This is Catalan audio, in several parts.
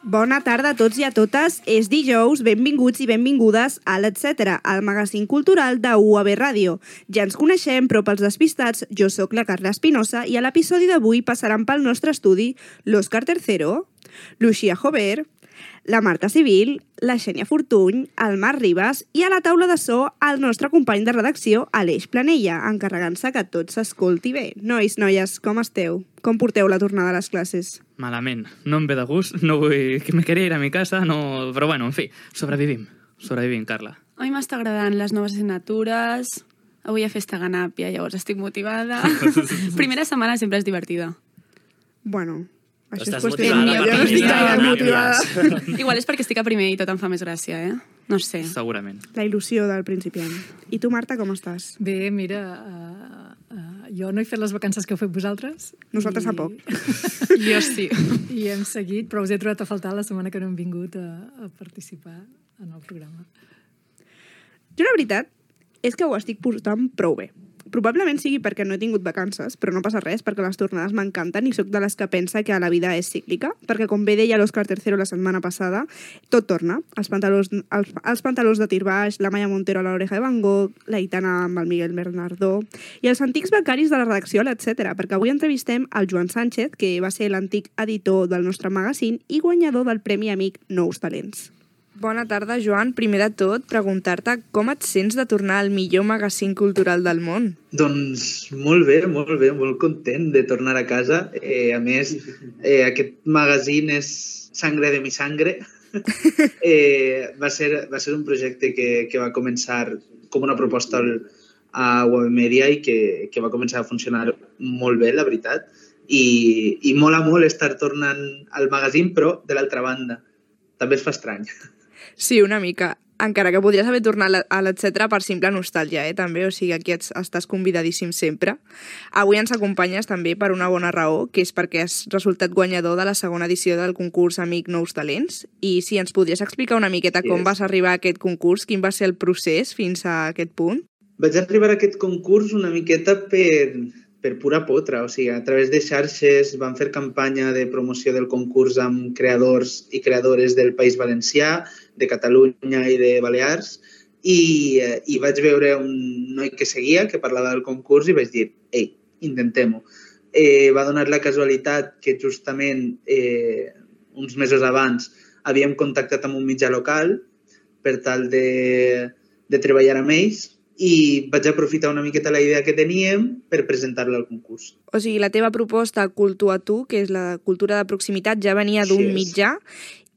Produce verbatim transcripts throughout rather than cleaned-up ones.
Bona tarda a tots i a totes. És dijous, benvinguts i benvingudes a l'Etcètera, el magazín cultural de U A B Ràdio. Ja ens coneixem, però pels despistats, jo sóc la Carla Espinosa i a l'episodi d'avui passaran pel nostre estudi l'Òscar Tercero, l'Uxia Jover, la Marta Civil, la Xènia Fortuny, el Marc Ribas i a la taula de so el nostre company de redacció, Aleix Planella, encarregant-se que tot s'escolti bé. Nois, noies, com esteu? Com porteu la tornada a les classes? Malament. No em ve de gust, no vull... que me quería ir a mi casa, no... Però bueno, en fi, sobrevivim. Sobrevivim, Carla. A mi m'està agradant les noves assignatures. Avui hi ha festa Ganàpia, llavors estic motivada. Primera setmana sempre és divertida. Bueno... Això Estàs és qüestió motivada, meva, jo no estic gaire motivada. Igual és perquè estic a primer i tot em fa més gràcia, eh? No sé. Segurament. La il·lusió del principiant. I tu, Marta, com estàs? Bé, mira, uh, uh, jo no he fet les vacances que heu fet vosaltres. Nosaltres i... tampoc. Jo sí. I hem seguit, però us he trobat a faltar la setmana que no hem vingut a, a participar en el programa. Jo, la veritat, és que ho estic portant prou bé. Probablement sigui perquè no he tingut vacances, però no passa res, perquè les tornades m'encanten i sóc de les que pensa que la vida és cíclica, perquè com bé deia l'Òscar Tercero la setmana passada, tot torna. Els pantalons, els, els pantalons de tir baix, la Maya Montero a l'Oreja de Van Gogh, la Aitana amb el Miguel Bernardó i els antics becaris de la redacció, etcètera. Perquè avui entrevistem el Joan Sánchez, que va ser l'antic editor del nostre magazín i guanyador del Premi Amic Nous Talents. Bona tarda, Joan. Primer de tot, preguntar-te com et sents de tornar al millor magazín cultural del món? Doncs molt bé, molt bé, molt content de tornar a casa. Eh, a més, eh, aquest magazín és sangre de mi sangre. eh, va, ser, va ser un projecte que, que va començar com una proposta al, a U A B Media i que, que va començar a funcionar molt bé, la veritat. I, i mola molt estar tornant al magazín, però de l'altra banda. També es fa estrany. Sí, una mica. Encara que podries haver tornat a l'Etcètera per simple nostàlgia, eh, també. O sigui, aquí ets, estàs convidadíssim sempre. Avui ens acompanyes també per una bona raó, que és perquè has resultat guanyador de la segona edició del concurs Amic Nous Talents. I si ens podries explicar una miqueta com yes. vas arribar a aquest concurs, quin va ser el procés fins a aquest punt? Vaig arribar a aquest concurs una miqueta per... per pura potra, o sigui, a través de xarxes vam fer campanya de promoció del concurs amb creadors i creadores del País Valencià, de Catalunya i de Balears, i, i vaig veure un noi que seguia, que parlava del concurs, i vaig dir, ei, intentem-ho. Eh, va donar la casualitat que justament eh, uns mesos abans havíem contactat amb un mitjà local per tal de, de treballar amb ells, i vaig aprofitar una miqueta la idea que teníem per presentar-la al concurs. O sigui, la teva proposta Cultu a tu, que és la cultura de proximitat, ja venia d'un sí, mitjà,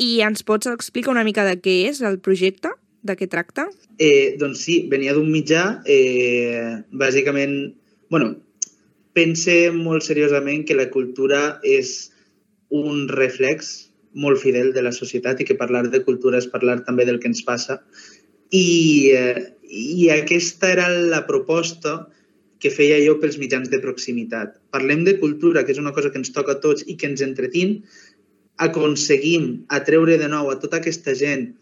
i ens pots explicar una mica de què és el projecte, de què tracta? Eh, doncs sí, venia d'un mitjà, eh, bàsicament, bueno, pense molt seriosament que la cultura és un reflex molt fidel de la societat i que parlar de cultura és parlar també del que ens passa. I, eh, I aquesta era la proposta que feia jo pels mitjans de proximitat. Parlem de cultura, que és una cosa que ens toca a tots i que ens entretín, aconseguim atreure de nou a tota aquesta gent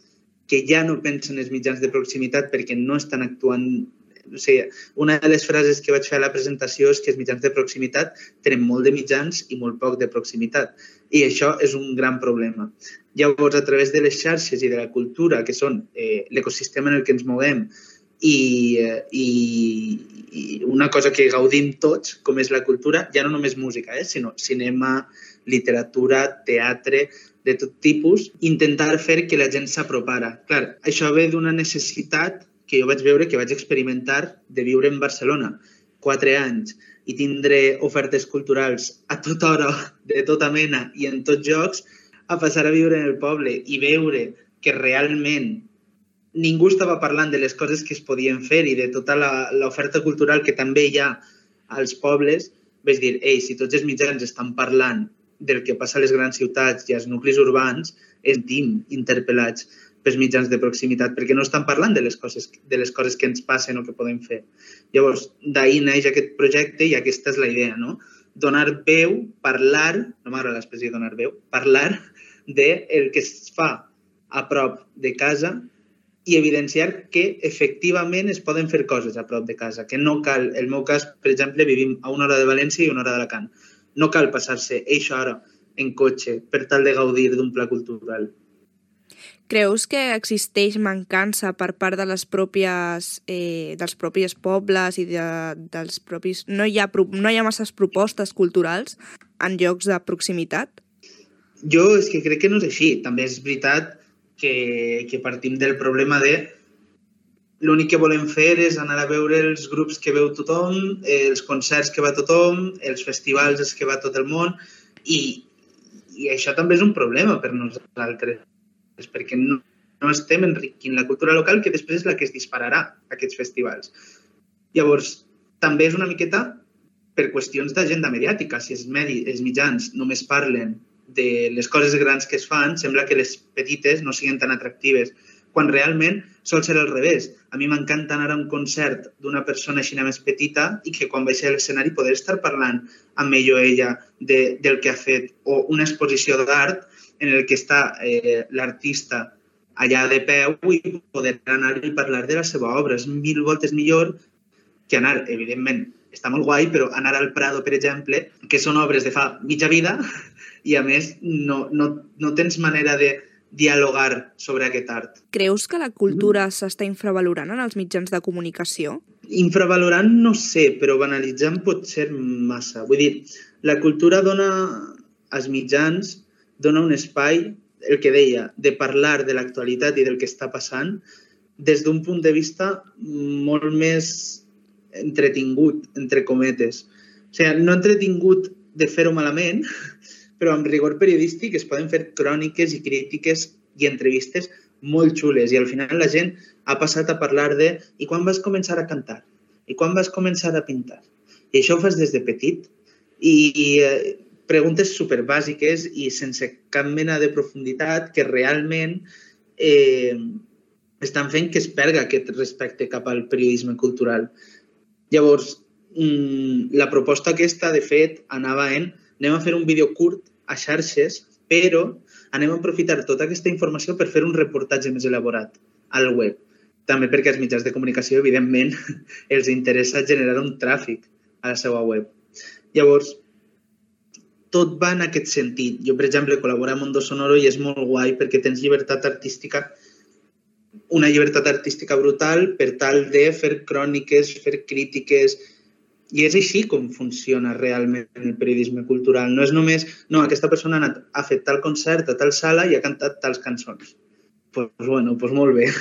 que ja no pensa en els mitjans de proximitat perquè no estan actuant. O sigui, una de les frases que vaig fer a la presentació és que els mitjans de proximitat tenen molt de mitjans i molt poc de proximitat. I això és un gran problema. Llavors, a través de les xarxes i de la cultura, que són eh, l'ecosistema en el que ens movem, i, i, i una cosa que gaudim tots, com és la cultura, ja no només música, eh, sinó cinema, literatura, teatre, de tot tipus, intentar fer que la gent s'apropara. Clar, això ve d'una necessitat que jo vaig veure, que vaig experimentar de viure en Barcelona quatre anys i tindre ofertes culturals a tota hora, de tota mena i en tots llocs, a passar a viure en el poble i veure que realment ningú estava parlant de les coses que es podien fer i de tota l'oferta cultural que també hi ha als pobles, vaig dir, ei, si tots els mitjans estan parlant del que passa a les grans ciutats i als nuclis urbans, estem interpel·lats pels mitjans de proximitat, perquè no estan parlant de les coses, de les coses que ens passen o que podem fer. Llavors, d'ahir neix aquest projecte i aquesta és la idea, no? Donar veu, parlar, no m'agrada l'expressió donar veu, parlar del que es fa a prop de casa i evidenciar que efectivament es poden fer coses a prop de casa, que no cal, en el meu cas, per exemple, vivim a una hora de València i una hora d'Alacant. No cal passar-se eixa hora en cotxe per tal de gaudir d'un pla cultural. Creus que existeix mancança per part de les pròpies, eh, dels propis pobles i de, dels propis... No hi, ha, no hi ha masses propostes culturals en llocs de proximitat? Jo és que crec que no és així. També és veritat que, que partim del problema de l'únic que volem fer és anar a veure els grups que veu tothom, els concerts que va tothom, els festivals els que va tot el món, i, i això també és un problema per nosaltres, perquè no, no estem enriquint la cultura local, que després és la que es dispararà aquests festivals. Llavors, també és una miqueta per qüestions d'agenda mediàtica. Si els, medi, els mitjans només parlen de les coses grans que es fan, sembla que les petites no siguin tan atractives, quan realment sol ser al revés. A mi m'encanta anar a un concert d'una persona així més petita i que quan baixi a l'escenari poder estar parlant amb ell o ella de, del que ha fet, o una exposició d'art en el que està eh, l'artista allà de peu i poder anar i parlar de la seva obra. És mil voltes millor que anar, evidentment, està molt guai, però anar al Prado, per exemple, que són obres de fa mitja vida i, a més, no, no, no tens manera de dialogar sobre aquest art. Creus que la cultura s'està infravalorant en els mitjans de comunicació? Infravalorant no sé, però banalitzant pot ser massa. Vull dir, la cultura dona als mitjans dona un espai, el que deia, de parlar de l'actualitat i del que està passant des d'un punt de vista molt més entretingut, entre cometes. O sigui, no entretingut de fer-ho malament, però amb rigor periodístic es poden fer cròniques i crítiques i entrevistes molt xules i al final la gent ha passat a parlar de i quan vas començar a cantar? I quan vas començar a pintar? I això ho fas des de petit i, i eh, preguntes superbàsiques i sense cap mena de profunditat que realment eh, estan fent que es perga aquest respecte cap al periodisme cultural. Llavors, mmm, la proposta aquesta, de fet, anava en anem a fer un vídeo curt a xarxes, però anem a aprofitar tota aquesta informació per fer un reportatge més elaborat al web. També perquè als mitjans de comunicació, evidentment, els interessa generar un tràfic a la seva web. Llavors, tot va en aquest sentit. Jo, per exemple, col·laboro a Mondo Sonoro i és molt guai perquè tens llibertat artística, una llibertat artística brutal per tal de fer cròniques, fer crítiques. I és així com funciona realment el periodisme cultural. No és només, no, aquesta persona ha, anat, ha fet tal concert a tal sala i ha cantat tals cançons. Doncs, pues, bueno, pues molt bé.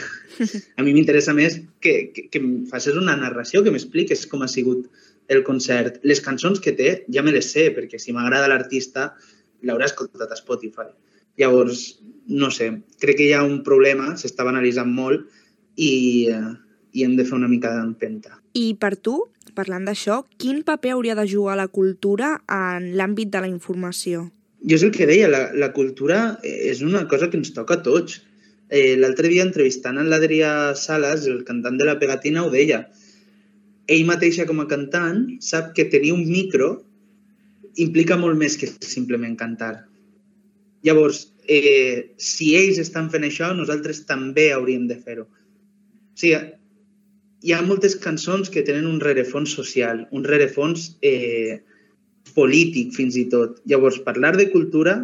A mi m'interessa més que, que, que em facis una narració, que m'expliques com ha sigut el concert. Les cançons que té ja me les sé, perquè si m'agrada l'artista l'haurà escoltat a Spotify. Llavors, no sé, crec que hi ha un problema, s'està banalitzant molt i, eh, i hem de fer una mica d'empenta. I per tu, parlant d'això, quin paper hauria de jugar la cultura en l'àmbit de la informació? Jo és el que deia, la, la cultura és una cosa que ens toca a tots. Eh, L'altre dia, entrevistant en l'Adrià Salas, el cantant de La Pegatina, ho deia. Ell mateixa, com a cantant, sap que tenir un micro implica molt més que simplement cantar. Llavors, eh, si ells estan fent això, nosaltres també hauríem de fer-ho. O sigui, hi ha moltes cançons que tenen un rerefons social, un rerefons eh, polític fins i tot. Llavors, parlar de cultura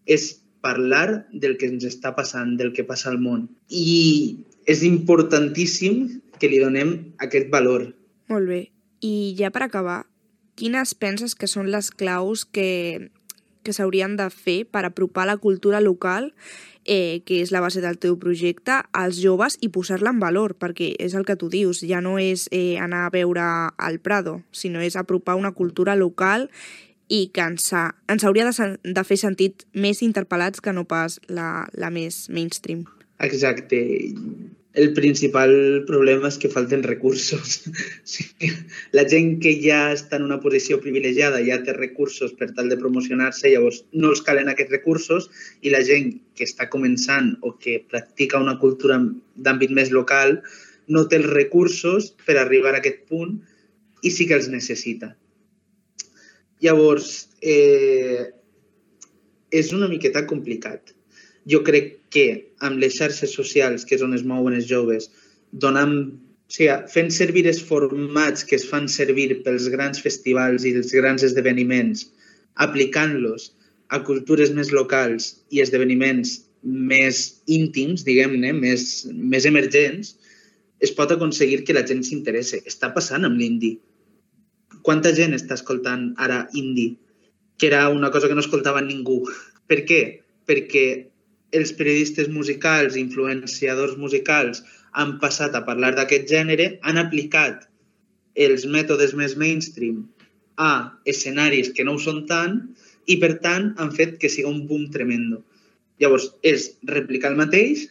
és parlar del que ens està passant, del que passa al món. I és importantíssim que li donem aquest valor. Molt bé. I ja per acabar, quines penses que són les claus que, que s'haurien de fer per apropar la cultura local, eh, que és la base del teu projecte, als joves i posar-la en valor? Perquè és el que tu dius, ja no és eh, anar a veure al Prado, sinó és apropar una cultura local i que ens, ha, ens hauria de, de fer sentit més interpel·lats que no pas la, la més mainstream. Exacte. El principal problema és que falten recursos. La gent que ja està en una posició privilegiada ja té recursos per tal de promocionar-se, llavors no els calen aquests recursos i la gent que està començant o que practica una cultura d'àmbit més local no té els recursos per arribar a aquest punt i sí que els necessita. Llavors, eh, és una miqueta complicat. Jo crec que amb les xarxes socials, que és on es mouen els joves, donant, o sigui, fent servir els formats que es fan servir pels grans festivals i els grans esdeveniments, aplicant-los a cultures més locals i esdeveniments més íntims, diguem-ne, més, més emergents, es pot aconseguir que la gent s'interesse. Està passant amb l'indie. Quanta gent està escoltant ara indie? Que era una cosa que no escoltava ningú. Per què? Perquè els periodistes musicals, influenciadors musicals, han passat a parlar d'aquest gènere, han aplicat els mètodes més mainstream a escenaris que no ho són tant i, per tant, han fet que sigui un boom tremendo. Llavors, és replicar el mateix,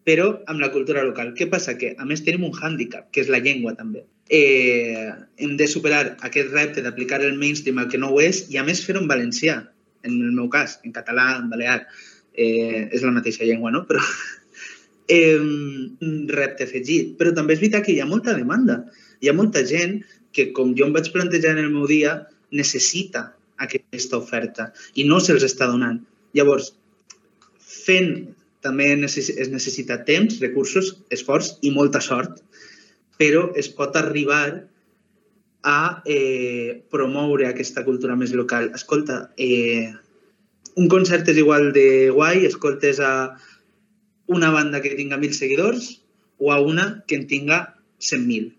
però amb la cultura local. Què passa? Que, a més, tenim un hàndicap, que és la llengua, també. Eh, hem de superar aquest repte d'aplicar el mainstream al que no ho és i, a més, fer-ho en valencià, en el meu cas, en català, en balear. Eh, és la mateixa llengua, no? Però eh, un repte afegit. Però també és veritat que hi ha molta demanda. Hi ha molta gent que, com jo em vaig plantejar en el meu dia, necessita aquesta oferta i no se'ls està donant. Llavors, fent també es necessita temps, recursos, esforç i molta sort, però es pot arribar a eh, promoure aquesta cultura més local. Escolta, eh, un concert és igual de guai, escoltes a una banda que tinga mil seguidors o a una que en tinga cent mil.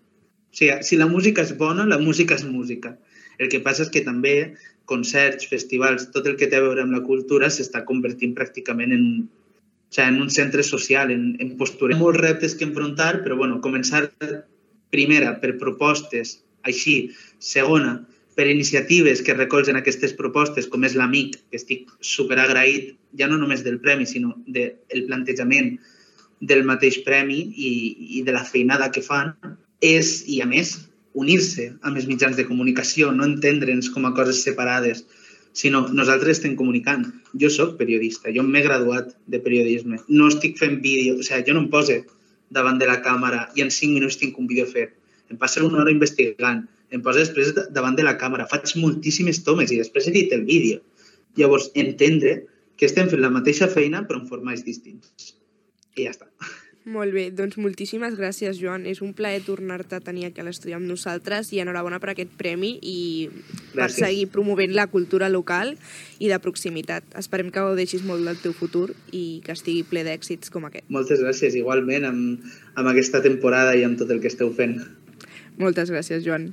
O sigui, si la música és bona, la música és música. El que passa és que també concerts, festivals, tot el que té a veure amb la cultura s'està convertint pràcticament en, o sigui, en un centre social, en, en postura. Hi ha molts reptes que enfrontar, però bueno, començar primera per propostes, així, segona, per iniciatives que recolzen aquestes propostes, com és l'Amic, que estic superagraït, ja no només del premi, sinó del plantejament del mateix premi i, i de la feinada que fan, és, i a més, unir-se amb els mitjans de comunicació, no entendre'ns com a coses separades, sinó nosaltres estem comunicant. Jo soc periodista, jo m'he graduat de periodisme, no estic fent vídeo, o sigui, jo no em poso davant de la càmera i en cinc minuts tinc un vídeo fet. Em passo una hora investigant, em poso després davant de la càmera, faig moltíssimes tomes i després edito el vídeo. Llavors, entendre que estem fent la mateixa feina però en formats distints. I ja està. Molt bé, doncs moltíssimes gràcies, Joan. És un plaer tornar-te a tenir aquí a l'estudi amb nosaltres i enhorabona per aquest premi i per Gràcies. seguir promovent la cultura local i de proximitat. Esperem que gaudeixis molt del teu futur i que estigui ple d'èxits com aquest. Moltes gràcies, igualment, amb, amb aquesta temporada i amb tot el que esteu fent. Moltes gràcies, Joan.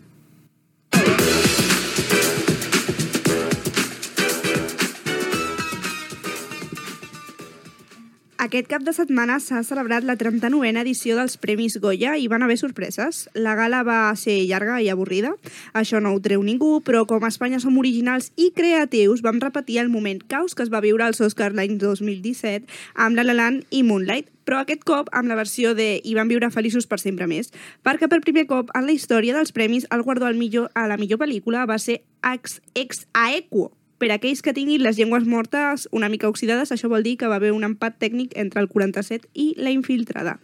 Aquest cap de setmana s'ha celebrat la trenta-novena edició dels Premis Goya i van haver sorpreses. La gala va ser llarga i avorrida, això no ho treu ningú, però com a Espanya som originals i creatius vam repetir el moment caos que es va viure als Oscars l'any dos mil disset amb La La Land i Moonlight, però aquest cop amb la versió de I van viure feliços per sempre més, perquè per primer cop en la història dels premis el guardó al millor, a la millor pel·lícula va ser ex, ex aequo. Per a aquells que tinguin les llengües mortes una mica oxidades, això vol dir que va haver un empat tècnic entre el quaranta-set i La infiltrada.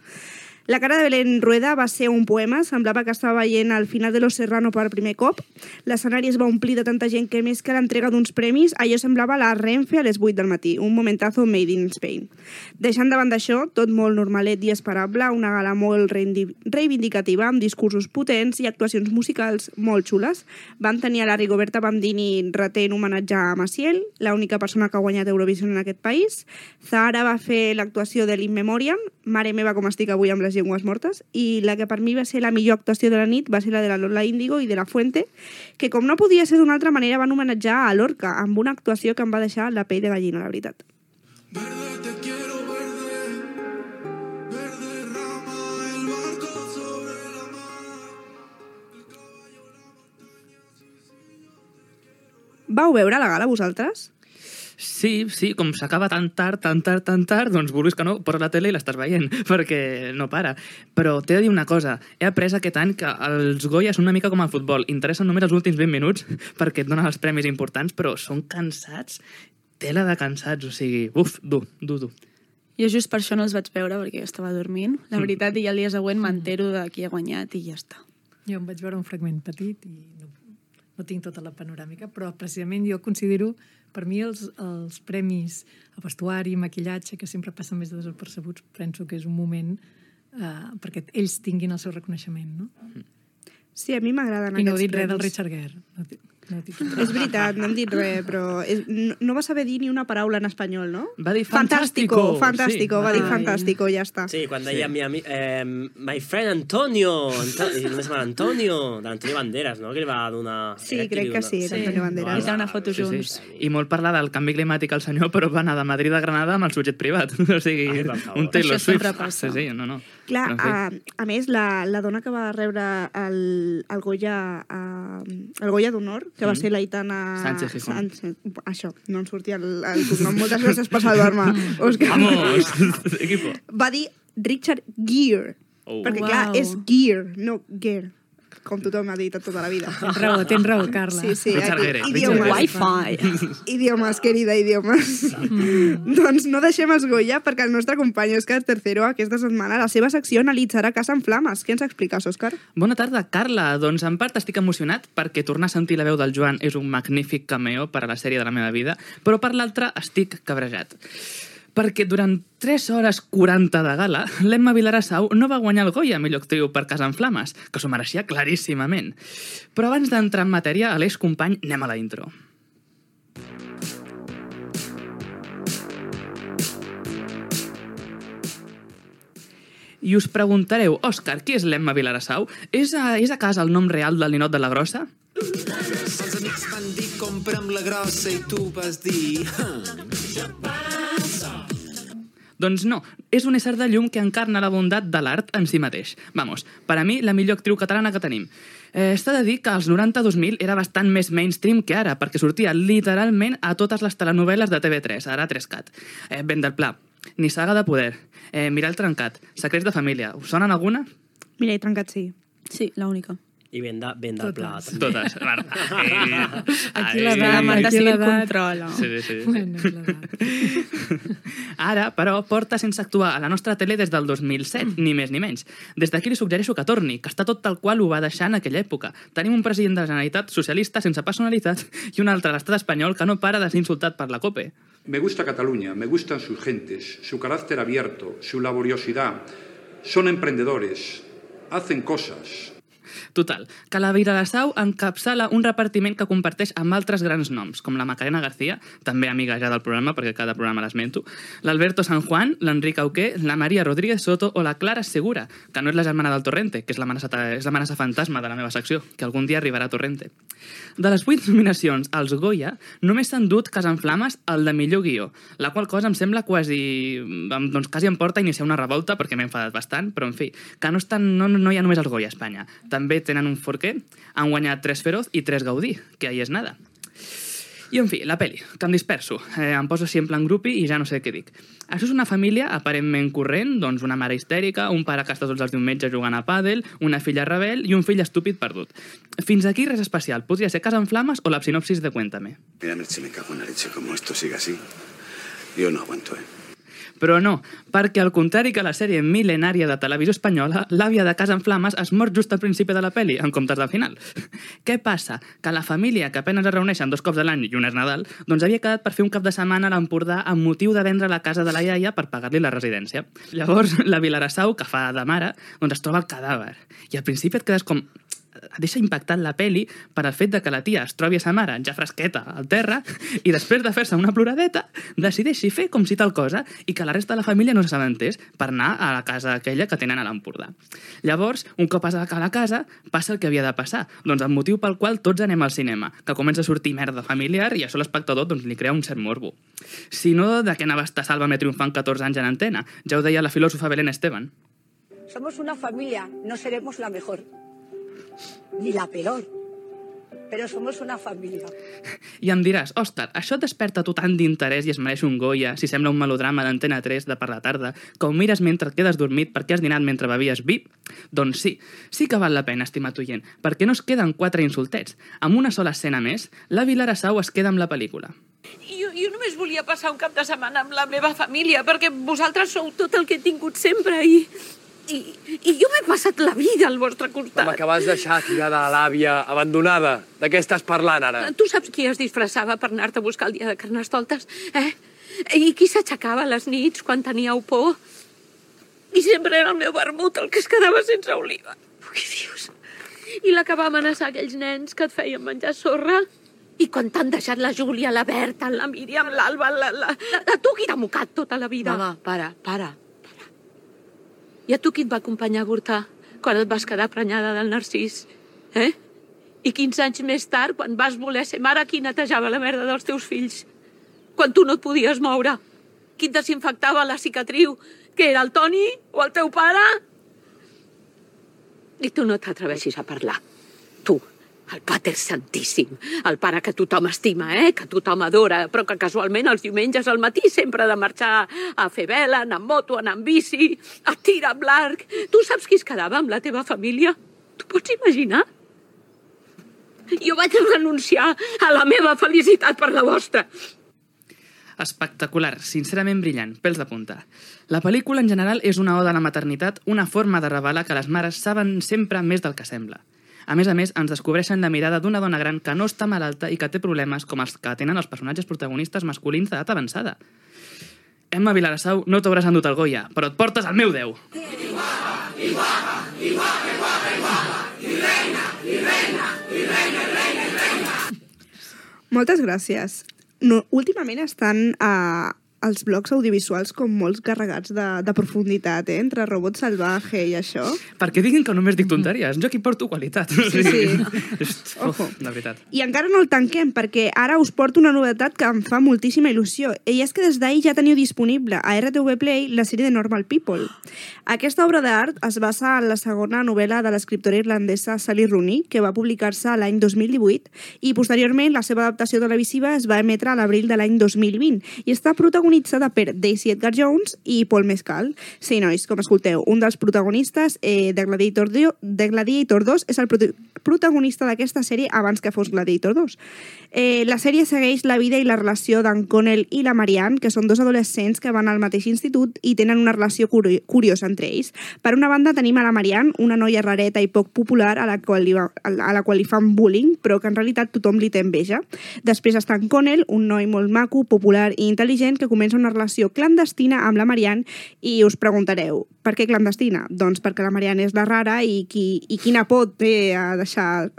La cara de Belén Rueda va ser un poema, semblava que estava veient el final de Los Serrano per primer cop. L'escenari es va omplir de tanta gent que més que l'entrega d'uns premis, allò semblava la Renfe a les vuit del matí, un momentazo made in Spain. Deixant davant d'això, tot molt normalet i esperable, una gala molt reivindicativa, amb discursos potents i actuacions musicals molt xules. Van tenir a la Rigoberta Bandini retent homenatge a Maciel, l'única persona que ha guanyat Eurovision en aquest país. Zahara va fer l'actuació de l'In Memoriam, mare meva com estic avui amb les llengües mortes, i la que per mi va ser la millor actuació de la nit va ser la de la Lola Índigo i de la Fuente, que com no podia ser d'una altra manera van homenatjar a Lorca amb una actuació que em va deixar la pell de gallina, la veritat. Verde te quiero verde, verde rama el barco sobre la mar, el caballo la montaña, sí, sí, yo te quiero. Vau veure la gala vosaltres? Sí, sí, com s'acaba tan tard, tan tard, tan tard, doncs vulguis que no, poses la tele i l'estàs veient, perquè no para. Però t'he de dir una cosa, he après aquest any que els Goya són una mica com el futbol, interessen només els últims vint minuts perquè et donen els premis importants, però són cansats, tela de cansats, o sigui, uf, dur, dur, dur. Jo just per això no els vaig veure, perquè jo estava dormint, la veritat, i el dia següent m'entero de qui ha guanyat i ja està. Jo em vaig veure un fragment petit i no, no tinc tota la panoràmica, però precisament jo considero, per mi, els, els premis a vestuari, maquillatge, que sempre passen més desapercebuts, penso que és un moment eh, perquè ells tinguin el seu reconeixement, no? Sí, a mi m'agraden I no aquests he dit res del premis. Richard Gere. No, he- no he dit res. És veritat, no hem dit res, però és, no, no va saber dir ni una paraula en espanyol, no? Va dir Fantástico, fantástico, fantástico, sí. va dir Ai. fantástico, ja està. Sí, quan deia mi ami... eh, my friend Antonio, Anto- i només amb Antonio, d'Antonio Banderas, no? Que li va donar... Sí, era qui crec li que dona- sí, era Antonio Banderas. I una foto Sí, junts. sí. I molt parlar del canvi climàtic al senyor, però va anar de Madrid a Granada amb el sujet privat. O sigui, Ai, per favor. un Taylor Això sempre Swift. passa. Sí, sí, no, no. Clar, Però, en a, fi. a més, la, la dona que va rebre el, el Goya, a, el Goya d'Honor, que va ser l'Aitana... Sánchez Gijón. Sánchez, això, no em sortia el, el cognom. Moltes gràcies per salvar-me, Òscar. Vamos, equipo. Va dir Richard Gere, Oh. perquè Uau. clar, és Gere, no Gere, com tothom ha dit tota la vida. Tens raó, tens raó, Carla. Sí, sí, Richard aquí, Gere, idiomes. Wi-Fi. Idiomes, querida, idiomes. Mm. Doncs no deixem els Goya perquè el nostre company Òscar Tercero aquesta setmana la seva secció analitzarà Casa en Flames. Què ens expliques, Òscar? Bona tarda, Carla. Doncs en part estic emocionat perquè tornar a sentir la veu del Joan és un magnífic cameo per a la sèrie de la meva vida, però per l'altra estic cabrejat. Perquè durant tres hores quaranta de gala, l'Emma Vilarassau no va guanyar el Goya a millor actriu per Casa en Flames, que s'ho mereixia claríssimament. Però abans d'entrar en matèria, Aleix company, anem a la intro. I us preguntareu, Òscar, qui és l'Emma Vilarassau? És a, és a casa el nom real del ninot de la Grossa? Els amics van dir compra'm la grossa i tu vas dir... Doncs no, és un ésser de llum que encarna la bondat de l'art en si mateix. Vamos, per a mi, la millor actriu catalana que tenim. Eh, Està de dir que als noranta-dos mil era bastant més mainstream que ara, perquè sortia literalment a totes les telenovel·les de T V tres, ara tres cat. Eh, Ben del Pla, Ni saga de poder, eh, Mirall trencat, Secrets de família. Us sonen alguna? Mira, he trencat sí. Sí, l'única. I ben, de, ben del pla. Totes. també. Totes. Marta. Aquí Ai. l'edat, La Marta aquí sí que l'edat. controla. Sí, sí, sí. Bueno, l'edat. Ara, però, porta sense actuar a la nostra tele des del dos mil set, ni més ni menys. Des d'aquí li suggereixo que torni, que està tot tal qual ho va deixar en aquella època. Tenim un president de la Generalitat socialista sense personalitat i un altre a l'estat espanyol que no para de ser insultat per la COPE. Me gusta Cataluña, me gustan sus gentes, su carácter abierto, su laboriosidad. Son emprendedores, hacen cosas. Total, que la Vilarassau encapçala un repartiment que comparteix amb altres grans noms, com la Macarena García, també amiga ja del programa, perquè cada programa l'esmento, l'Alberto San Juan, l'Enric Auqué, la Maria Rodríguez Soto o la Clara Segura, que no és la germana del Torrente, que és l'amenaça és l'amenaça fantasma de la meva secció, que algun dia arribarà a Torrente. De les vuit nominacions als Goya, només s'han dut Casa en Flames el de millor guió, la qual cosa em sembla quasi... doncs quasi em porta a iniciar una revolta, perquè m'he enfadat bastant, però en fi, que no, estan, no, no hi ha només els Goya a Espanya. També tenen un Forqué, han guanyat tres Feroz i tres Gaudí, que ahí és nada. I, en fi, la peli, que em disperso. Eh, em poso així en plan grupi i ja no sé què dic. Això és una família aparentment corrent, doncs una mare histèrica, un pare que està tots els diumenges jugant a pàdel, una filla rebel i un fill estúpid perdut. Fins aquí res especial. Podria ser Casa en Flames o la sinopsis de Cuéntame. Mira, Merche, me cago en la leche. Como esto sigue así, yo no aguanto, ¿eh? Però no, perquè al contrari que la sèrie mil·lenària de televisió espanyola, l'àvia de Casa en Flames es mor just al principi de la peli, en comptes del final. Què passa? Que la família, que apenas es reuneixen dos cops a l'any i un és Nadal, doncs havia quedat per fer un cap de setmana a l'Empordà amb motiu de vendre la casa de la iaia per pagar-li la residència. Llavors, la Vilarassau, que fa de mare, doncs es troba el cadàver. I al principi et quedes com... deixa impactant la peli per al fet de que la tia es trobi a sa mare ja fresqueta al terra i després de fer-se una ploradeta decideixi fer com si tal cosa i que la resta de la família no s'assabentés per anar a la casa aquella que tenen a l'Empordà. Llavors, un cop a la casa, passa el que havia de passar, doncs el motiu pel qual tots anem al cinema, que comença a sortir merda familiar i això a l'espectador doncs, li crea un cert morbo. Si no, de què anava a estar Sálvame triomfant catorze anys en antena? Ja ho deia la filòsofa Belén Esteban. Somos una familia, no seremos la mejor. Ni la peor, però somos una família. I em diràs, Òscar, això et desperta tu tant d'interès i es mereix un Goya si sembla un melodrama d'Antena tres de per la tarda, que ho mires mentre et quedes dormit perquè has dinat mentre bevies vi? Doncs sí, sí que val la pena, estimat oient, perquè no es queden quatre insultets. Amb una sola escena més, la Vilarassau es queda amb la pel·lícula. Jo, jo només volia passar un cap de setmana amb la meva família, perquè vosaltres sou tot el que he tingut sempre i... I, i jo m'he passat la vida al vostre costat. Home, que vas deixar tirada a l'àvia, abandonada. De què estàs parlant, ara? Tu saps qui es disfressava per anar-te a buscar el dia de Carnestoltes, eh? I qui s'aixecava a les nits quan teníeu por? I sempre era el meu vermut el que es quedava sense oliva. Ui, Dios. I la que va amenaçar aquells nens que et feien menjar sorra? I quan t'han deixat la Júlia, la Berta, la Míriam, l'Alba, la, la, la... A tu qui t'ha mocat tota la vida? Mama, para, para. I a tu qui et va acompanyar a avortar quan et vas quedar prenyada del Narcís? Eh? I quinze anys més tard, quan vas voler ser mare, qui netejava la merda dels teus fills? Quan tu no et podies moure? Qui et desinfectava la cicatriu? Que era el Toni o el teu pare? I tu no t'atreveixis a parlar. Tu, el Pater Santíssim, el pare que tothom estima, eh? Que tothom adora, però que casualment els diumenges al matí sempre ha de marxar a fer vela, anar amb moto, anar amb bici, a tirar amb l'arc. Tu saps qui es quedava amb la teva família? Tu pots imaginar? Jo vaig renunciar a la meva felicitat per la vostra. Espectacular, sincerament brillant, pèls de punta. La pel·lícula en general és una oda a la maternitat, una forma de revelar que les mares saben sempre més del que sembla. A més a més, ens descobreixen la mirada d'una dona gran que no està malalta i que té problemes com els que tenen els personatges protagonistes masculins d'edat avançada. Emma Vilarassau, no t'hauràs endut el Goya, però et portes el meu deu. Moltes gràcies. No, últimament estan a, els blocs audiovisuals com molts carregats de, de profunditat, eh? Entre Robot Salvaje i això. Perquè diguin que només dic tonteries. Jo aquí porto qualitat. Sí, sí. Ojo. De veritat. I encara no el tanquem, perquè ara us porto una novetat que em fa moltíssima il·lusió. I és que des d'ahir ja teniu disponible a R T V Play la sèrie de Normal People. Aquesta obra d'art es basa en la segona novel·la de l'escriptora irlandesa Sally Rooney, que va publicar-se l'any dos mil divuit, i posteriorment la seva adaptació televisiva es va emetre a l'abril de l'any dos mil vint, i està protagonitzada per Daisy Edgar Jones i Paul Mescal. Sí, nois, com escolteu, un dels protagonistes eh, de, Gladiator de Gladiator dos és el prot protagonista d'aquesta sèrie abans que fos Gladiator dos. Eh, la sèrie segueix la vida i la relació d'en Connell i la Marianne, que són dos adolescents que van al mateix institut i tenen una relació curi curiosa entre ells. Per una banda tenim a la Marianne, una noia rareta i poc popular a la qual li, va, a la qual li fan bullying, però que en realitat tothom li té enveja. Després està en Connell, un noi molt maco, popular i intel·ligent que comença una relació clandestina amb la Marianne i us preguntareu, per què clandestina? Doncs perquè la Marianne és la rara i, qui, i quina por té a deixar...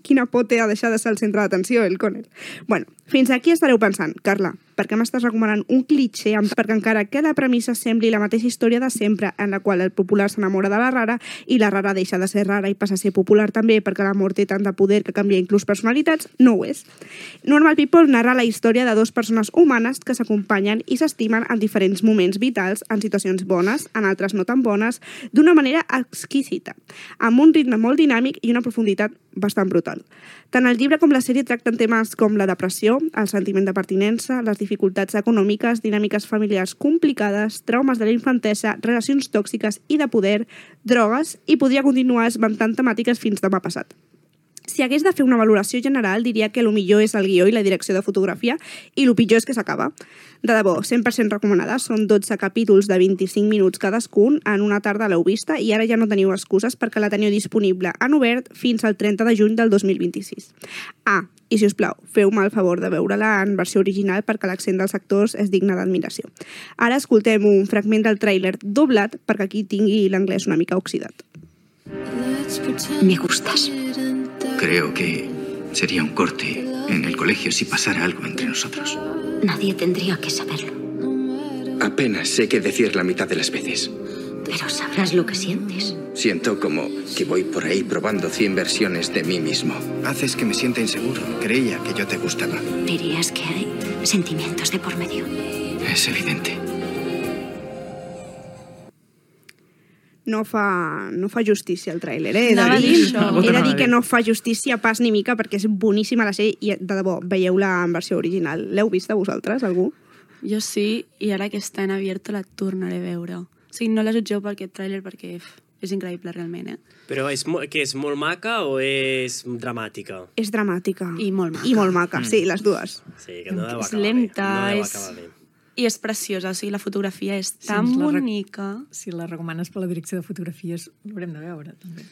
quina por té a deixar de ser el centre d'atenció, el Connell. Bueno, fins aquí estareu pensant, Carla, per què m'estàs recomanant un cliché perquè encara que la premissa sembli la mateixa història de sempre en la qual el popular s'enamora de la rara i la rara deixa de ser rara i passa a ser popular també perquè l'amor té tant de poder que canvia inclús personalitats, no ho és. Normal People narra la història de dues persones humanes que s'acompanyen i s'estimen en diferents moments vitals, en situacions bones, en altres no tan bones, d'una manera exquisita, amb un ritme molt dinàmic i una profunditat bastant brutal. Tant el llibre com la sèrie tracten temes com la depressió, el sentiment de pertinença, les dificultats econòmiques, dinàmiques familiars complicades, traumes de la infantesa, relacions tòxiques i de poder, drogues, i podria continuar esmentant temàtiques fins demà passat. Si hagués de fer una valoració general, diria que el millor és el guió i la direcció de fotografia i el pitjor és que s'acaba. De debò, cent per cent recomanada, són dotze capítols de vint-i-cinc minuts cadascun, en una tarda l'heu vista i ara ja no teniu excuses perquè la teniu disponible en obert fins al trenta de juny del dos mil vint-i-sis. Ah, i si us plau, feu-me el favor de veure-la en versió original perquè l'accent dels actors és digne d'admiració. Ara escoltem un fragment del tràiler doblat perquè aquí tingui l'anglès una mica oxidat. Me gustas. Creo que sería un corte en el colegio si pasara algo entre nosotros. Nadie tendría que saberlo. Apenas sé qué decir la mitad de las veces. Pero sabrás lo que sientes. Siento como que voy por ahí probando cien versiones de mí mismo. Haces que me sienta inseguro. Creía que yo te gustaba. Dirías que hay sentimientos de por medio. Es evidente. No fa, no fa justícia el tràiler, eh? He de Anava a dir, dir això. he de dir que no fa justícia pas ni mica perquè és boníssima la sèrie i, de debò, veieu-la en versió original. L'heu vista vosaltres, algú? Jo sí, i ara que està en abierto la tornaré a veure. O sigui, no la jutgeu per aquest tràiler perquè uf, és increïble realment, eh? Però és, que és molt maca o és dramàtica? És dramàtica. I molt maca. I molt maca, sí, les dues. Sí, que no deu És acabar lenta, bé. No deu és... acabar bé. I és preciosa, o sigui, la fotografia és Si tan ens la rec- bonica. Si la recomanes per la direcció de fotografies, l'haurem de veure, també.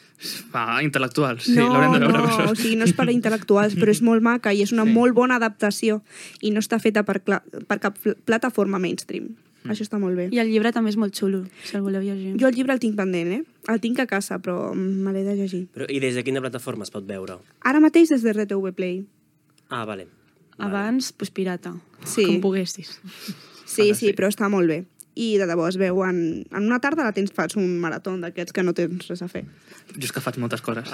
Va, intel·lectuals, sí, no, l'haurem de veure. no, per o això. sigui, no és per a intel·lectuals, però és molt maca i és una Sí. molt bona adaptació i no està feta per, cla- per cap pl- plataforma mainstream. Mm. Això està molt bé. I el llibre també és molt xulo, si el voleu llegir. Jo el llibre el tinc pendent, eh? El tinc a casa, però me l'he de llegir. Però, I des de quina plataforma es pot veure? Ara mateix des de R T V Play. Ah, vale. Abans, pues, pirata, Sí. com poguessis. Sí, sí, però està molt bé. I de debò es veu en, en una tarda la tens, fas un marató d'aquests que no tens res a fer. Jo és que faig moltes coses.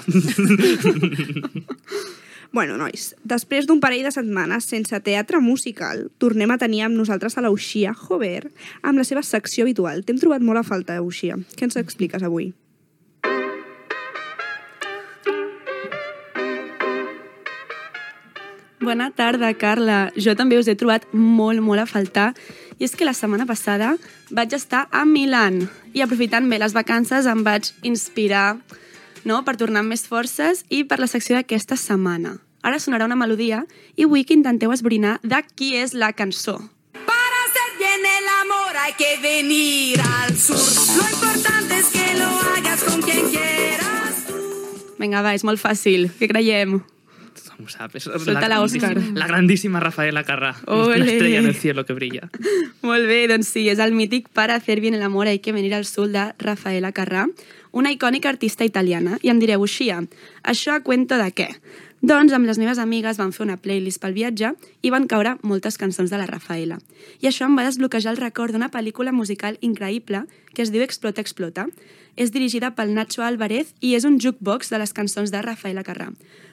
Bueno, nois, després d'un parell de setmanes sense teatre musical, tornem a tenir amb nosaltres a l'Uxia Jover amb la seva secció habitual. T'hem trobat molt a falta, Uxia. Què ens expliques avui? Bona tarda, Carla. Jo també us he trobat molt, molt a faltar. I és que la setmana passada vaig estar a Milan i aprofitant bé les vacances em vaig inspirar, no?, per tornar amb més forces i per la secció d'aquesta setmana. Ara sonarà una melodia i vull que intenteu esbrinar de qui és la cançó. Para hacer bien el amor hay que venir al sur. Lo importante es que lo hagas con quien quieras. Vinga, va, és molt fàcil. Què creiem? Tothom ho sap. És Solta la Òscar. La grandíssima Rafaela Carrà. Ole. La estrella en el cielo que brilla. Molt bé, doncs sí, és el mític Para hacer bien el amor hay que venir al sur de Rafaela Carrà, una icònica artista italiana. I em direu, Uxia, això a cuento de què? Doncs amb les meves amigues vam fer una playlist pel viatge i van caure moltes cançons de la Rafaela. I això em va desbloquejar el record d'una pel·lícula musical increïble que es diu Explota, Explota. És dirigida pel Nacho Álvarez i és un jukebox de les cançons de Rafaela Carrà.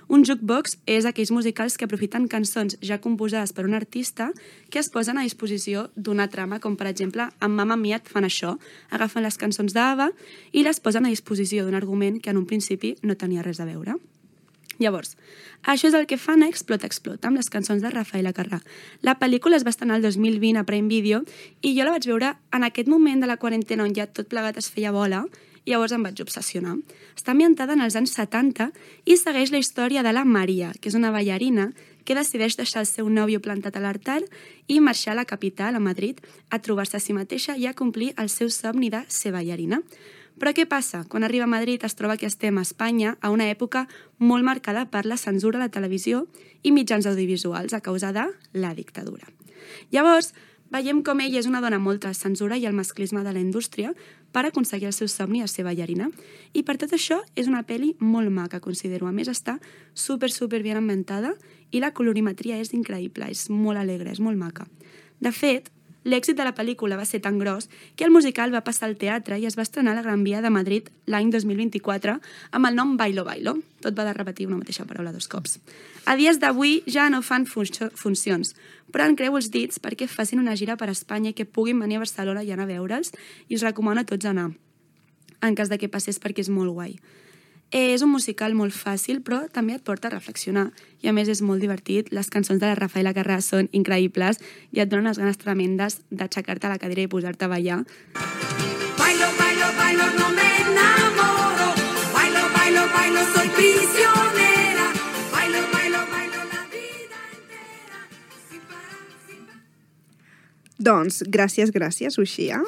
Un jukebox és aquells musicals que aprofiten cançons ja composades per un artista que es posen a disposició d'una trama, com per exemple amb Mamma Mia et fan això, agafen les cançons d'Ava i les posen a disposició d'un argument que en un principi no tenia res a veure. Llavors, això és el que fan a Explota, Explota, amb les cançons de Rafaela Carrà. La pel·lícula es va estrenar el dos mil vint a Prime Video i jo la vaig veure en aquest moment de la quarantena on ja tot plegat es feia bola i llavors em vaig obsessionar. Està ambientada en els anys setanta i segueix la història de la Maria, que és una ballarina que decideix deixar el seu nòvio plantat a l'altar i marxar a la capital, a Madrid, a trobar-se a si mateixa i a complir el seu somni de ser ballarina. Però què passa? Quan arriba a Madrid es troba que estem a Espanya a una època molt marcada per la censura a la televisió i mitjans audiovisuals a causa de la dictadura. Llavors, veiem com ella és una dona molt tras censura i el masclisme de la indústria per aconseguir el seu somni de ser ballarina. I per tot això és una pel·li molt maca, considero. A més, està super, super ben ambientada i la colorimetria és increïble, és molt alegre, és molt maca. De fet, l'èxit de la pel·lícula va ser tan gros que el musical va passar al teatre i es va estrenar a la Gran Via de Madrid l'any dos mil vint-i-quatre amb el nom Bailo Bailo. Tot va de repetir una mateixa paraula dos cops. A dies d'avui ja no fan funcio- funcions, però en creu els dits perquè facin una gira per Espanya i que puguin venir a Barcelona i anar a veure'ls i us recomano a tots anar, en cas de que passés perquè és molt guai. És un musical molt fàcil, però també et porta a reflexionar. I a més és molt divertit. Les cançons de la Rafaela Carrà són increïbles i et donen unes ganes tremendes d'aixecar-te a la cadira i posar-te a ballar. Bailo, bailo, bailo, no me enamoro. Bailo, bailo, bailo, soy prisionera. Bailo, bailo, bailo, la vida entera. Sin parar, sin parar. Doncs, gràcies, gràcies, Uxia.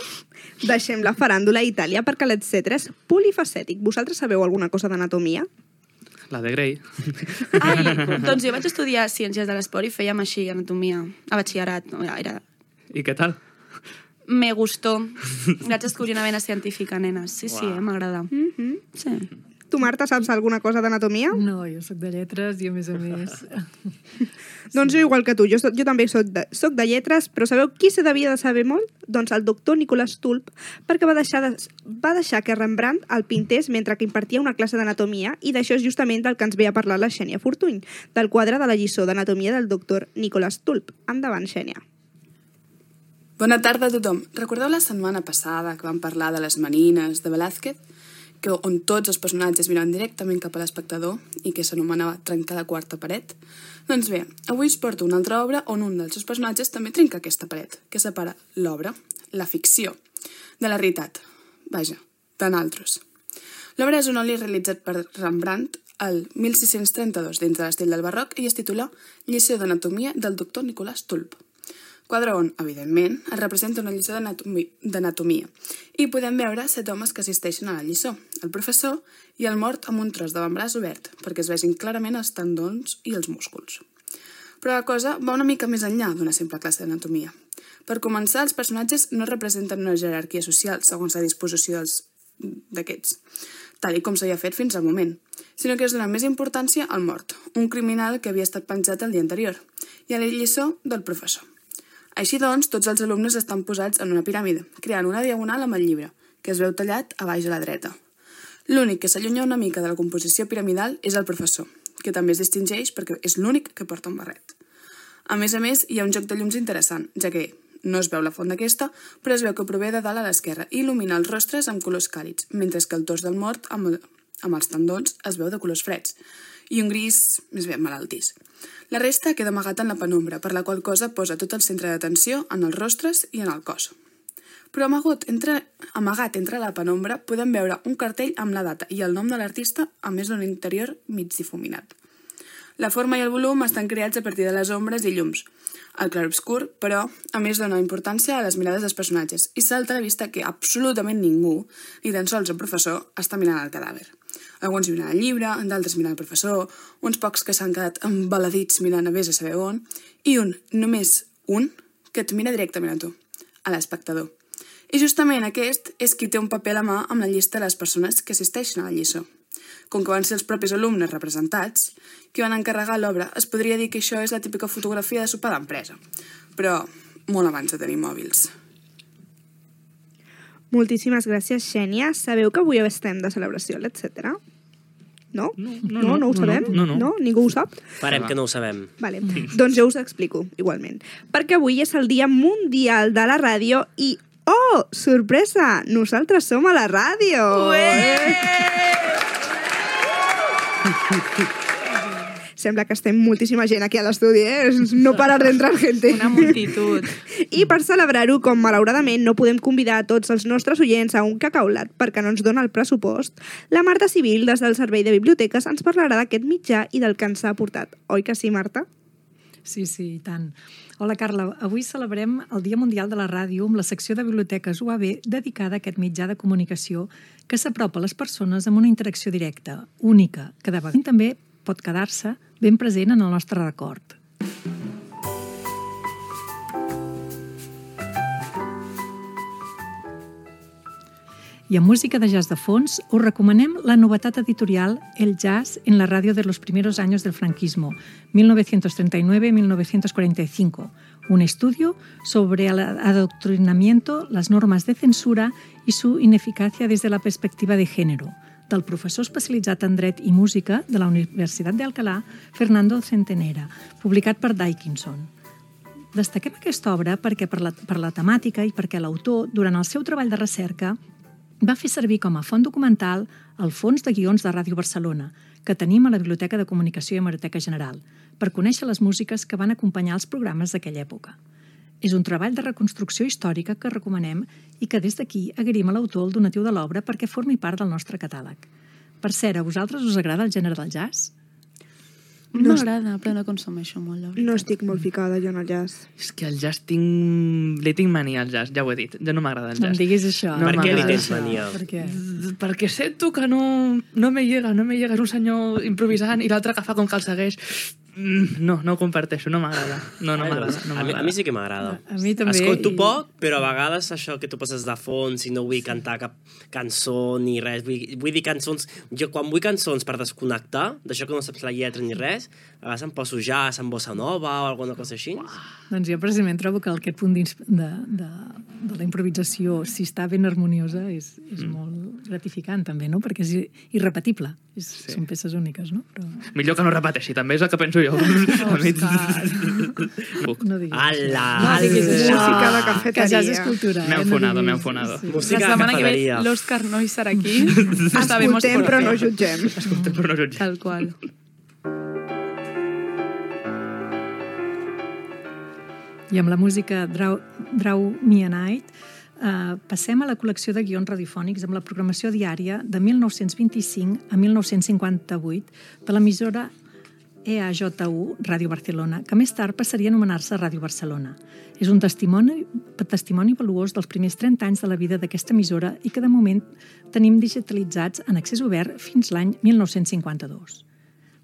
Deixem la faràndula a Itàlia perquè l'etcètera és polifacètic. Vosaltres sabeu alguna cosa d'anatomia? La de Grey. Ai, doncs jo vaig estudiar Ciències de l'Esport i fèiem així, anatomia, a batxillerat. No, era, era... I què tal? Me gustó. Vaig descobrir una vena científica, nenes. Sí, sí, Uau. eh, m'agrada. Mm-hmm. Sí. Tu, Marta, saps alguna cosa d'anatomia? No, jo sóc de lletres i, a més a més... Doncs jo igual que tu, jo, soc, jo també soc de, soc de lletres, però sabeu qui se devia de saber molt? Doncs el doctor Nicolas Tulp, perquè va deixar, de, va deixar que Rembrandt el pintés mentre que impartia una classe d'anatomia, i d'això és justament del que ens ve a parlar la Xènia Fortuny, del quadre de la lliçó d'anatomia del doctor Nicolas Tulp. Endavant, Xènia. Bona tarda a tothom. Recordeu la setmana passada que vam parlar de les manines de Velázquez? Que on tots els personatges miraven directament cap a l'espectador i que s'anomenava trencar la quarta paret? Doncs bé, avui us porto una altra obra on un dels seus personatges també trenca aquesta paret, que separa l'obra, la ficció, de la realitat. Vaja, de naltros. L'obra és un oli realitzat per Rembrandt el mil sis-cents trenta-dos dins de l'estil del barroc i es titula Lliçó d'anatomia del doctor Nicolas Tulp. quadre on, evidentment, es representa una lliçó d'anatomia i podem veure set homes que assisteixen a la lliçó, el professor i el mort amb un tros d'avantbraç obert, perquè es vegin clarament els tendons i els músculs. Però la cosa va una mica més enllà d'una simple classe d'anatomia. Per començar, els personatges no representen una jerarquia social segons la disposició d'aquests, tal com s'havia fet fins al moment, sinó que es dona més importància al mort, un criminal que havia estat penjat el dia anterior, i a la lliçó del professor. Així doncs, tots els alumnes estan posats en una piràmide, creant una diagonal amb el llibre, que es veu tallat a baix a la dreta. L'únic que s'allunya una mica de la composició piramidal és el professor, que també es distingeix perquè és l'únic que porta un barret. A més a més, hi ha un joc de llums interessant, ja que no es veu la font d'aquesta, però es veu que prové de dalt a l'esquerra i il·lumina els rostres amb colors càlids, mentre que el tors del mort amb, amb els tendons es veu de colors freds i un gris més ben malaltís. La resta queda amagat en la penombra, per la qual cosa posa tot el centre d'atenció en els rostres i en el cos. Però amagat entre, amagat entre la penombra podem veure un cartell amb la data i el nom de l'artista a més d'un interior mig difuminat. La forma i el volum estan creats a partir de les ombres i llums. El clarobscur, però, a més dona importància a les mirades dels personatges i salta a la vista que absolutament ningú, ni tan sols el professor, està mirant el cadàver. Alguns miren el llibre, d'altres miren el professor, uns pocs que s'han quedat embaladits mirant a vés a saber on, i un, només un, que et mira directament a tu, a l'espectador. I justament aquest és qui té un paper a la mà amb la llista de les persones que assisteixen a la lliçó. Com que van ser els propis alumnes representats, que van encarregar l'obra, es podria dir que això és la típica fotografia de sopar d'empresa, però molt abans de tenir mòbils. Moltíssimes gràcies, Xènia. Sabeu que avui estem de celebració, etcètera? No? No, no, no, no ho no, sabem? no, no. no? Ningú ho sap? Farem que no ho sabem. Vale. Doncs jo us explico, igualment. Perquè avui és el Dia Mundial de la Ràdio i, oh, sorpresa, nosaltres som a la ràdio! Sembla que estem moltíssima gent aquí a l'estudi, eh? No parar d'entrar gente. Una multitud. I per celebrar-ho, com malauradament no podem convidar a tots els nostres oients a un cacaulat perquè no ens dona el pressupost, la Marta Civil, des del Servei de Biblioteques, ens parlarà d'aquest mitjà i del que ens ha aportat. Oi que sí, Marta? Sí, sí, i tant. Hola, Carla. Avui celebrem el Dia Mundial de la Ràdio amb la secció de Biblioteques U A B dedicada a aquest mitjà de comunicació que s'apropa a les persones amb una interacció directa, única, que de vegades també pot quedar-se ben present en el nostre record. I amb música de jazz de fons, us recomanem la novetat editorial El jazz en la radio de los primeros años del franquismo, mil novecientos treinta y nueve a mil novecientos cuarenta y cinco, un estudio sobre el adoctrinamiento, las normas de censura y su ineficacia desde la perspectiva de género, del professor especialitzat en dret i música de la Universitat d'Alcalà, Fernando Centenera, publicat per Dickinson. Destaquem aquesta obra perquè per la, per la temàtica i perquè l'autor, durant el seu treball de recerca, va fer servir com a font documental el fons de guions de Ràdio Barcelona, que tenim a la Biblioteca de Comunicació i Hemeroteca General, per conèixer les músiques que van acompanyar els programes d'aquella època. És un treball de reconstrucció històrica que recomanem i que des d'aquí agraïm a l'autor el donatiu de l'obra perquè formi part del nostre catàleg. Per cert, a vosaltres us agrada el gènere del jazz? No m'agrada, però no consumeixo molt, la veritat. No estic molt ficada jo en el jazz. És que el jazz tinc... Li tinc mania al jazz, ja ho he dit. Ja no m'agrada el jazz. No em diguis això. No per què li m'agrada. tens mania? Per què? Perquè sento que no, no me llega, no me llega. És un senyor improvisant i l'altre que fa com que el segueix. No, no ho comparteixo, no m'agrada. No, no m'agrada. No a, mi, a mi sí que m'agrada. A mi també. Escolto i... poc, però a vegades això que tu poses de fons i no vull cantar cap cançó ni res. Vull, vull dir cançons... Jo quan vull cançons per desconnectar, d'això que no saps la lletra ni res, a vegades em poso jazz en bossa nova o alguna cosa així. Doncs jo precisament trobo que aquest punt de, de, de la improvisació, si està ben harmoniosa, és, és mm. molt gratificant també, no? Perquè és irrepetible. És, sí. Són peces úniques, no? Però... Millor que no repeteixi, també és el que penso jo. No diguis Ala, no diguis això. Música de cafeteria. Que ja és escultura. M'he eh? enfonado, no m'he enfonado. Sí. Música La de setmana que ve cafeteria. l'Òscar no hi serà aquí. Escoltem, però no jutgem. Escoltem, però no jutgem. Tal qual. I amb la música Draw, Draw Me a Night eh, passem a la col·lecció de guions radiofònics amb la programació diària de mil nou-cents vint-i-cinc a mil nou-cents cinquanta-vuit de l'emissora E A J U, Ràdio Barcelona, que més tard passaria a anomenar-se Ràdio Barcelona. És un testimoni, testimoni valuós dels primers trenta anys de la vida d'aquesta emissora i que de moment tenim digitalitzats en accés obert fins l'any mil nou-cents cinquanta-dos.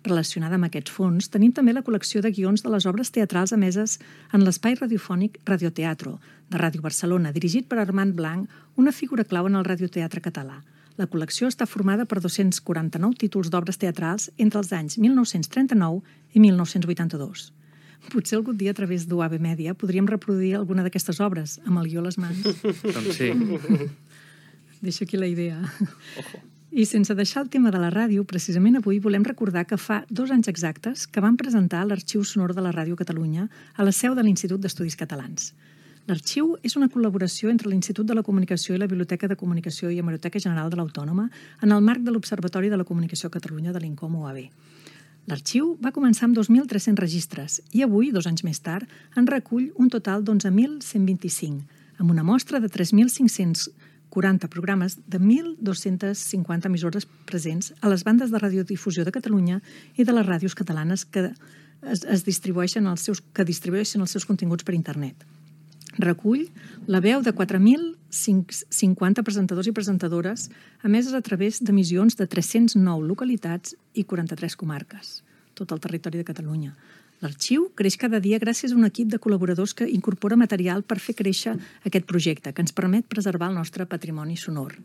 Relacionada amb aquests fons, tenim també la col·lecció de guions de les obres teatrals emeses en l'espai radiofònic Radioteatro, de Ràdio Barcelona, dirigit per Armand Blanc, una figura clau en el radioteatre català. La col·lecció està formada per dos-cents quaranta-nou títols d'obres teatrals entre els anys mil nou-cents trenta-nou i mil nou-cents vuitanta-dos. Potser algun dia a través d'U A B Media podríem reproduir alguna d'aquestes obres, amb el guió a les mans. Doncs sí. Deixo aquí la idea. I sense deixar el tema de la ràdio, precisament avui volem recordar que fa dos anys exactes que vam presentar l'Arxiu Sonor de la Ràdio Catalunya a la seu de l'Institut d'Estudis Catalans. L'arxiu és una col·laboració entre l'Institut de la Comunicació i la Biblioteca de Comunicació i Hemeroteca General de l'Autònoma en el marc de l'Observatori de la Comunicació a Catalunya de l'INCOM U A B. L'arxiu va començar amb dos mil tres-cents registres i avui, dos anys més tard, en recull un total d'onze mil cent vint-i-cinc, amb una mostra de tres mil cinc-cents quaranta programes de mil dos-cents cinquanta emissores presents a les bandes de radiodifusió de Catalunya i de les ràdios catalanes que es, es distribueixen els seus, que distribueixen els seus continguts per internet. Recull la veu de quatre mil cinquanta presentadors i presentadores emeses a través d'emissions de tres-cents nou localitats i quaranta-tres comarques, tot el territori de Catalunya. L'arxiu creix cada dia gràcies a un equip de col·laboradors que incorpora material per fer créixer aquest projecte, que ens permet preservar el nostre patrimoni sonor.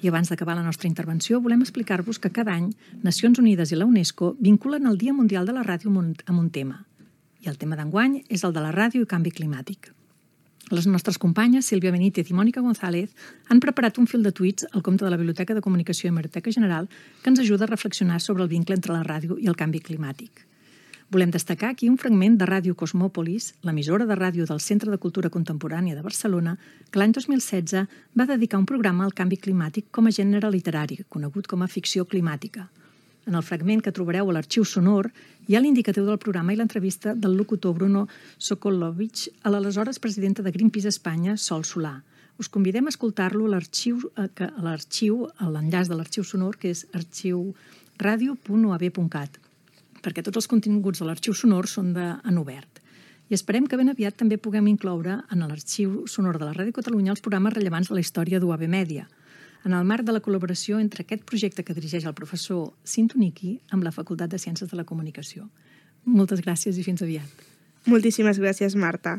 I abans d'acabar la nostra intervenció, volem explicar-vos que cada any Nacions Unides i la UNESCO vinculen el Dia Mundial de la Ràdio amb un tema. I el tema d'enguany és el de la ràdio i canvi climàtic. Les nostres companyes, Sílvia Benítez i Mònica González, han preparat un fil de tuits al compte de la Biblioteca de Comunicació i Hemeroteca General que ens ajuda a reflexionar sobre el vincle entre la ràdio i el canvi climàtic. Volem destacar aquí un fragment de Ràdio Cosmòpolis, l'emissora de ràdio del Centre de Cultura Contemporània de Barcelona, que l'any dos mil setze va dedicar un programa al canvi climàtic com a gènere literari, conegut com a ficció climàtica. En el fragment que trobareu a l'Arxiu Sonor hi ha l'indicatiu del programa i l'entrevista del locutor Bruno Sokolovich a l'aleshores presidenta de Greenpeace Espanya, Sol Solà. Us convidem a escoltar-lo a l'arxiu, a l'arxiu, a l'enllaç de l'Arxiu Sonor, que és arxiu radio punt u a b punt cat, perquè tots els continguts de l'Arxiu Sonor són de, en obert. I esperem que ben aviat també puguem incloure en l'Arxiu Sonor de la Ràdio Catalunya els programes rellevants de la història d'U A B Media, en el marc de la col·laboració entre aquest projecte que dirigeix el professor Sintoniki amb la Facultat de Ciències de la Comunicació. Moltes gràcies i fins aviat. Moltíssimes gràcies, Marta.